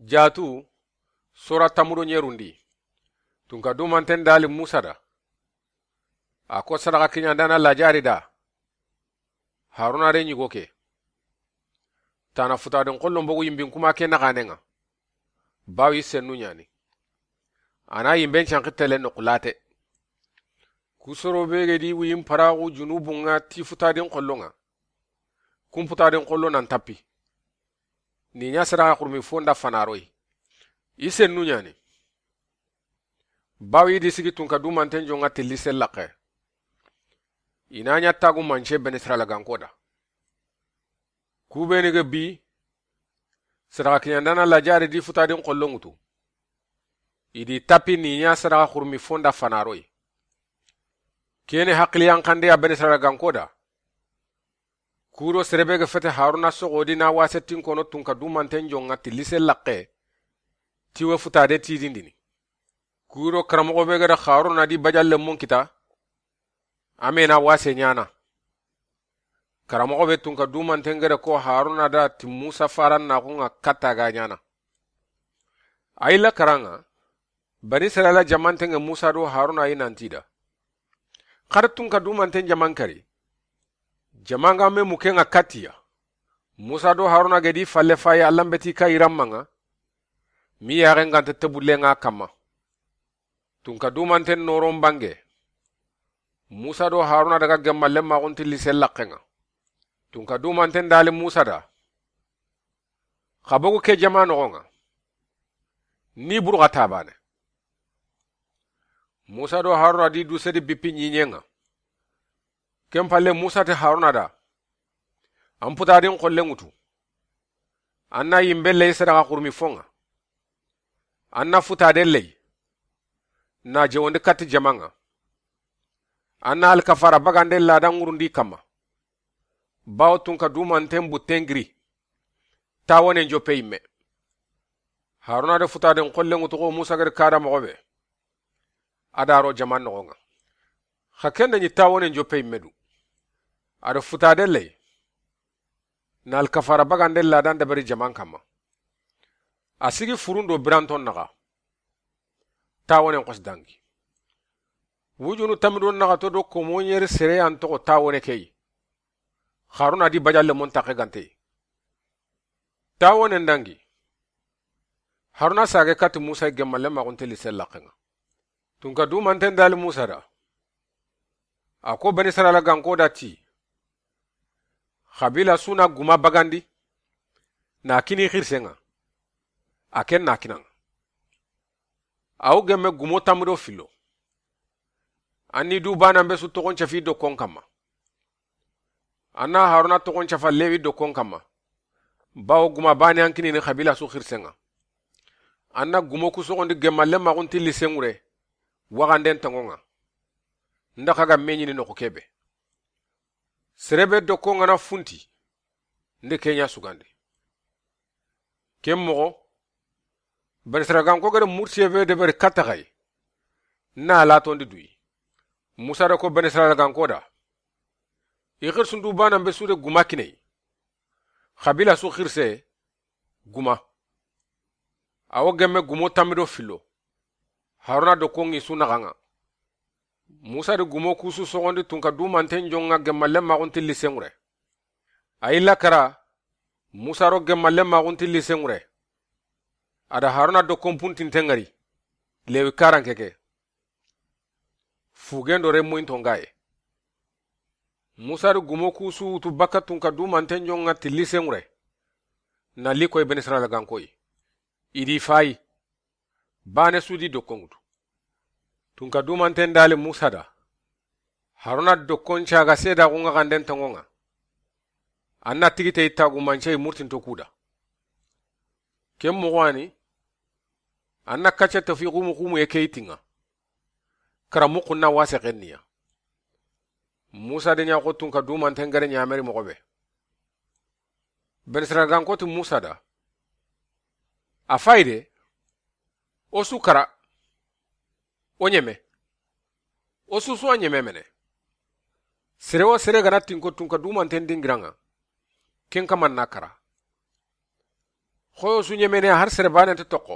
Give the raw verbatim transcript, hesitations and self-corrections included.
Jaatu, sora tamudo ɲerundi. Tunka dumanten dali Musa da. A ko sadaka kiɲandana lajari da. Haruna re ɲigo ke. Tana futadin xollon bogu yimbin kuma ke naxanen ŋa. Bawi sennu ɲani. A na yimben canxi tele noxu late. Kusoro be ge di wiyin paraxu junubun ŋa ti futadin xollon ŋa. Kun futadin xollo nan tapi. Ni ɲa sadaka xurmi fonda fanaroyi. I sennu ɲani. Bawi di sigi tunka dumanten jonŋa tilli sellaxe. I na ɲa tagu mance Beni Israila ganko da. Kubeni ge bi, sadaka kiɲandana lajari di futadin xollon ŋutu. I di tapi ni ɲa sadaka xurmi fonda fanaroyi. Kene hakkiliyan xande ya Beni Israila ganko da. Kuro serebe ga fete Haruna soxodi na wasetin kono tunka dumanten jonŋa tilli sellaxe. Tiwe futade tidindini. Kuro karamoxo be ga da Haruna di bajalle mun kita. Amena wase ɲana. Karamoxo be tunka dumanten ga da ko Haruna da ti Musa faran naxun ŋa katta ga ɲana. Ayila karan ŋa. Bani Israila jamanten ŋa Musa do Haruna yi nanti da. Xar tunka dumanten jaman kari. Jaman ga me muke ŋa katiya. Musa do Haruna ga di falle faye Allan beti ka iran maŋa. Mi yaxen ganta tebulle ŋa kamma. Tunka dumanten noron bange. Musa do Haruna daga gemmalle maxun tilli sellaxe ŋa. Tunka dumanten dali Musa da. Xa bogu ke jama noxon ŋa. Ni buru xa tabane. Musa do Haruna di dusedi bippi ɲiɲen ŋa. Ken palle Musa ti Haruna da. An putadin xollen ŋutu. An na yimbe ley sadaka xurmi fon ŋa. An na futade ley. Na jewondi katti jaman ŋa. An na alkafara bagande ladan ŋurundi kamma. Bawo tunka dumanten butten giri. Tawonen joppe yimme. Haruna da futaden xollen ŋutu xo Musa gari kada moxo be. A da ro jaman noxon ŋa. Xa ken da ɲi tawonen joppe yimme du. A da futade ley. Na alkafara bagande ladan dabari jaman kamma. A sigi furun do biranton naxa. Tawonen xos dangi. Wujunu tamidon naxa to do komoɲeri sere an toxo tawone key. Haruna di bajalle mon taxe gantey. Tawonen dangi. Haruna sage kati Musa gemmalle maxunte lise laxen ŋa. Tunka dumanten dali Musa da. A ko Bani Israila ganko da ti. Xabila su na guma bagandi. Na kini xirsen ŋa. A ken na kinan ŋa. Awo gemme gumo tammi do fillo. An ni du banan be su toxon cafi dokkon kamma. An na Haruna toxon cafa Lewi dokkon kamma. Bawo guma bane an kinini xabila su xirsen ŋa. An na gumo ku soxondi gemmalle maxunti lisen ŋure. Waxanden tangon ŋa. Nda xa ga me ɲini noxu kebe. Serebe dokkon ŋa na funti. Nde ke ɲa sugandi. Ken moxo. Bani Israila ganko gada murtiye be deberi katta xay. Na latondi duyi. Musa da ko Bani Israila ganko da. I xirsun du banan be su de guma kiney. Xabila su xirse guma. Awo gemme gumo tammi do fillo. Haruna dokkon ŋi su naxan ŋa. Musa di gumo kusu soxondi tunka dumanten jonŋa gemmalle maxunti lisen ŋure. A yi lakara. Musa ro gemmalle maxunti lisen ŋure. A da Haruna dokkon puntinten ŋari. Lewi karanke ke. Fugen do remmuyin tongaye. Musa di gumo kusu wutu bakka tunka dumanten jonŋa ti lisen ŋure. Na li koy Bani Israila gankoy. I di fayi. Bane su di dokkon ŋutu. Tunka dumanten dali Musa da. Haruna dokkon caga sedaxun ŋa xanden tangon ŋa. An na tigite i tagu mancey murtinto kuda. Ken moxo ani. An na kacce tafi xumu xumu ye ke i tinŋa. Karamuxun na wase xenniya. Musa de ɲa xo tunka dumanten gare ɲameri moxo be. Bani Israila ganko ti Musa da. A fayi de. O su kara. O ɲeme. O su su a ɲeme mene. Sere wo sere gana tinko tunka dumanten dingiran ŋa. Ken kaman na kara. Xoyo su ɲemene har sere baane nta toxo.